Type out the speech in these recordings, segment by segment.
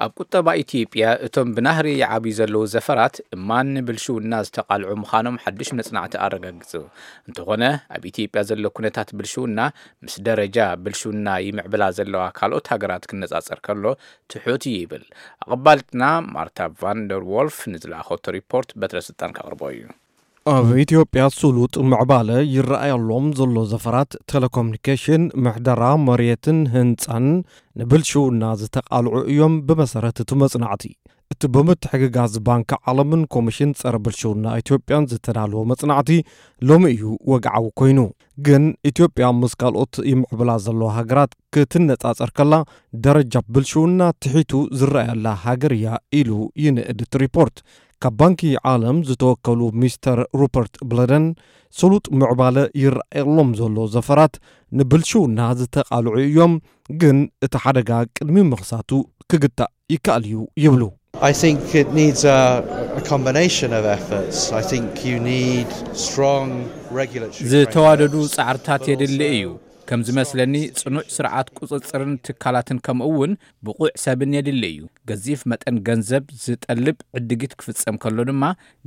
ኣብ ቁጠባ ኢትዮጵያ እቶም ብናህሪ ይዓብዩ ዘለዉ ዘፈራት እማን ንብልሽውና ዝተቓልዑ ምዃኖም ሓድሽ መጽናዕቲ ኣረጋግጹ። እንተኾነ፣ ኣብ ኢትዮጵያ ዘሎ ኩነታት ብልሽውና ምስ ደረጃ ብልሽውና ይምዕብላ ዘለዋ ካልኦት ሃገራት ክነጻጸር ከሎ ትሑት እዩ ይብል። ኣቐባልትና ማርታ ቫንደር ዎልፍ ንዝለኣኸቶ ሪፖርት በትረ ስልጣን ከቕርቦ እዩ። ኣብ ኢትዮጵያ ስሉጥ ምዕባለ ይረኣየሎም ዘሎ ዘፈራት ቴሌኮሙኒኬሽን፣ ምሕደራ መሬትን ህንጻን ንብልሽውና ዝተቓልዑ እዮም ብመሰረት እቲ መጽናዕቲ። እቲ ብምትሕግጋዝ ባንኪ ዓለምን ኮሚሽን ጸረ ብልሽውና ኢትዮጵያን ዝተዳለወ መጽናዕቲ ሎሚ እዩ ወግዓዊ ኮይኑ። ግን ኢትዮጵያ ምስ ካልኦት ይምዕብላ ዘለዋ ሃገራት ክትነጻጸር ከላ ደረጃ ብልሽውና ትሒቱ ዝረኣየላ ሃገር እያ ኢሉ ይንእድ እቲ ሪፖርት። ካብ ባንኪ ዓለም ዝተወከሉ ሚስተር ሩፐርት ብለደን ስሉጥ ምዕባለ ይረኣየሎም ዘሎ ዘፈራት ንብልሽውና ዝተቓልዑ እዮም፣ ግን እቲ ሓደጋ ቅድሚ ምኽሳቱ ክግታእ ይከኣል እዩ ይብሉ። I think it needs a, a combination of efforts. I think you need strong regulatory ዝተዋደዱ frameworks, ጻዕርታት but የድሊ also እዩ። ከም ዝመስለኒ ጽኑዕ ስርዓት ቁጽጽርን ትካላትን ከምኡ እውን ብቑዕ ሰብን የድሊ እዩ። ገዚፍ መጠን ገንዘብ ዝጠልብ ዕድጊት ክፍጸም ከሎ ድማ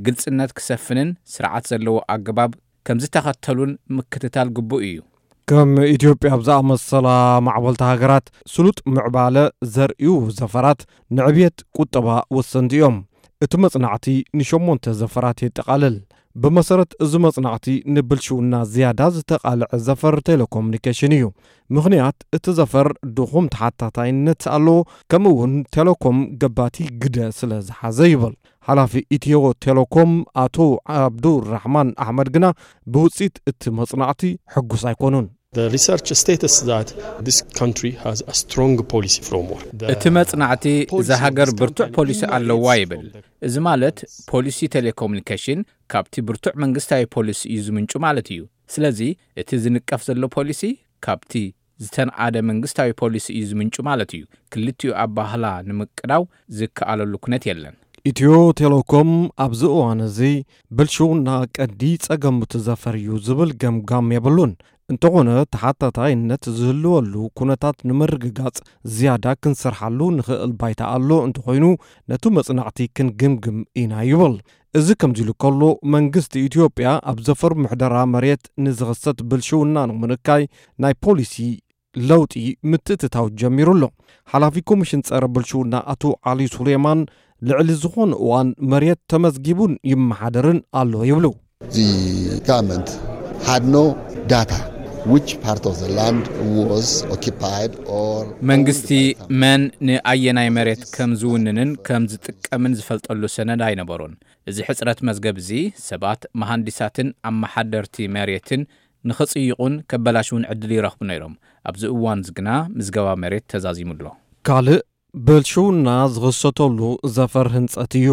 ግልጽነት ክሰፍንን ስርዓት ዘለዎ ኣገባብ ከም ዝተኸተሉን ምክትታል ግቡእ እዩ። ከም ኢትዮጵያ ኣብ ዝኣመሰላ ማዕበልቲ ሃገራት ስሉጥ ምዕባለ ዘርእዩ ዘፈራት ንዕብየት ቁጠባ ወሰንቲ እዮም። እቲ መጽናዕቲ ንሸሞንተ ዘፈራት የጠቓልል። ብመሰረት እዚ መጽናዕቲ ንብልሽውና ዝያዳ ዝተቓልዐ ዘፈር ቴሌኮሙኒኬሽን እዩ። ምኽንያት እቲ ዘፈር ድኹም ተሓታታይነት ኣለዎ፣ ከምኡ እውን ቴሌኮም ገባቲ ግደ ስለ ዝሓዘ ይብል ሓላፊ ኢትዮ ቴሌኮም ኣቶ ዓብዱራሕማን ኣሕመድ ግና ብውፅኢት እቲ መጽናዕቲ ሕጉስ ኣይኮኑን። The research states that this country has a strong policy framework. The እቲ መጽናዕቲ እዛ ሃገር ብርቱዕ ፖሊሲ ኣለዋ ይብል። እዚ ማለት ፖሊሲ ቴሌኮሙኒኬሽን ካብቲ ብርቱዕ መንግስታዊ ፖሊሲ እዩ ዝምንጩ ማለት እዩ። ስለዚ እቲ ዝንቀፍ ዘሎ ፖሊሲ ካብቲ ዝተንኣደ መንግስታዊ ፖሊሲ እዩ ዝምንጩ ማለት እዩ። ክልቲኡ ኣባህላ ንምቅዳው ዝከኣለሉ ኩነት የለን። ኢትዮ ቴሌኮም ኣብዚ እዋን እዚ ብልሽውና ቀንዲ ጸገም እቲ ዘፈር እዩ ዝብል ገምጋም የብሉን። እንተኾነ ተሓታታይነት ዝህልወሉ ኩነታት ንምርግጋጽ ዝያዳ ክንሰርሓሉ ንኽእል ባይታ ኣሎ፣ እንተኾይኑ ነቲ መጽናዕቲ ክንግምግም ኢና ይብል። እዚ ከምዚ ኢሉ ከሎ መንግስቲ ኢትዮጵያ ኣብ ዘፈር ምሕደራ መሬት ንዝኽሰት ብልሽውና ንምንካይ ናይ ፖሊሲ ለውጢ ምትእትታው ጀሚሩ ኣሎ። ሓላፊ ኮሚሽን ጸረ ብልሽውና ኣቶ ዓሊ ሱሌማን ልዕሊ ዝኾነ እዋን መሬት ተመዝጊቡን ይመሓደርን ኣሎ ይብሉ። The government had no data which part of the land was occupied or መንግስቲ መን ንኣየናይ መሬት ከም ዝውንንን ከም ዝጥቀምን ዝፈልጠሉ ሰነድ ኣይነበሮን። እዚ ሕጽረት መዝገብ እዚ ሰባት መሃንዲሳትን ኣመሓደርቲ መሬትን ንኽጽይቑን ከበላሽውን ዕድል ይረኽቡ ነይሮም። ኣብዚ እዋን እዚ ግና ምዝገባ መሬት ተዛዚሙ ኣሎ። ካልእ ብልሽውና ዝኽሰተሉ ዘፈር ህንጸት እዩ።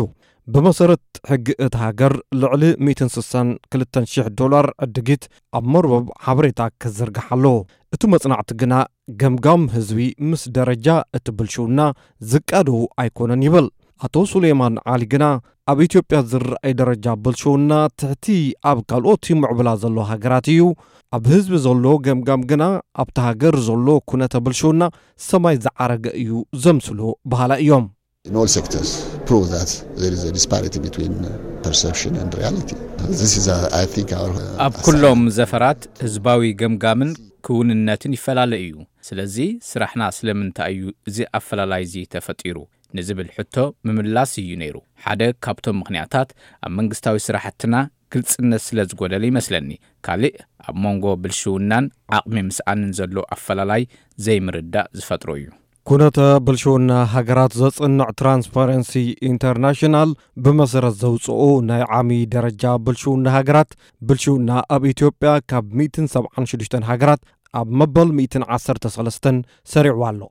ብመሰረት ሕጊ እታ ሃገር ልዕሊ ሚእትን ስሳን ክልተን ሽሕ ዶላር ዕድጊት ኣብ መርበብ ሓበሬታ ክዝርጋሕ ኣለዎ። እቲ መጽናዕቲ ግና ገምጋም ህዝቢ ምስ ደረጃ እቲ ብልሽውና ዝቃደው ኣይኮነን ይብል። ኣቶ ሱሌማን ዓሊ ግና ኣብ ኢትዮጵያ ዝረኣይ ደረጃ ብልሽውና ትሕቲ ኣብ ካልኦት ይምዕብላ ዘሎ ሃገራት እዩ። ኣብ ህዝቢ ዘሎ ገምጋም ግና ኣብቲ ሃገር ዘሎ ኩነተ ብልሽውና ሰማይ ዝዓረገ እዩ ዘምስሎ በሃላ እዮም። In all sectors, prove that there is a disparity between perception and reality. This is, uh, I think, our, uh, ኣብ ኩሎም ዘፈራት ህዝባዊ ገምጋምን ክውንነትን ይፈላለ እዩ። ስለዚ ስራሕና ስለምንታይ እዩ እዚ ኣፈላላይ እዚ ተፈጢሩ ንዝብል ሕቶ ምምላስ እዩ ነይሩ። ሓደ ካብቶም ምኽንያታት ኣብ መንግስታዊ ስራሕትና ግልጽነት ስለ ዝጎደለ ይመስለኒ። ካልእ ኣብ መንጎ ብልሽውናን ዓቕሚ ምስኣንን ዘሎ ኣፈላላይ ዘይምርዳእ ዝፈጥሮ እዩ። ኩነተ ብልሽውና ሃገራት ዘጽንዕ ትራንስፓረንሲ ኢንተርናሽናል ብመሰረት ዘውፅኦ ናይ ዓሚ ደረጃ ብልሽውና ሃገራት፣ ብልሽውና ኣብ ኢትዮጵያ ካብ ሚእትን ሰብዓን ሽዱሽተን ሃገራት ኣብ መበል ሚእትን ዓሰርተ ሰለስተን ሰሪዑ ኣሎ።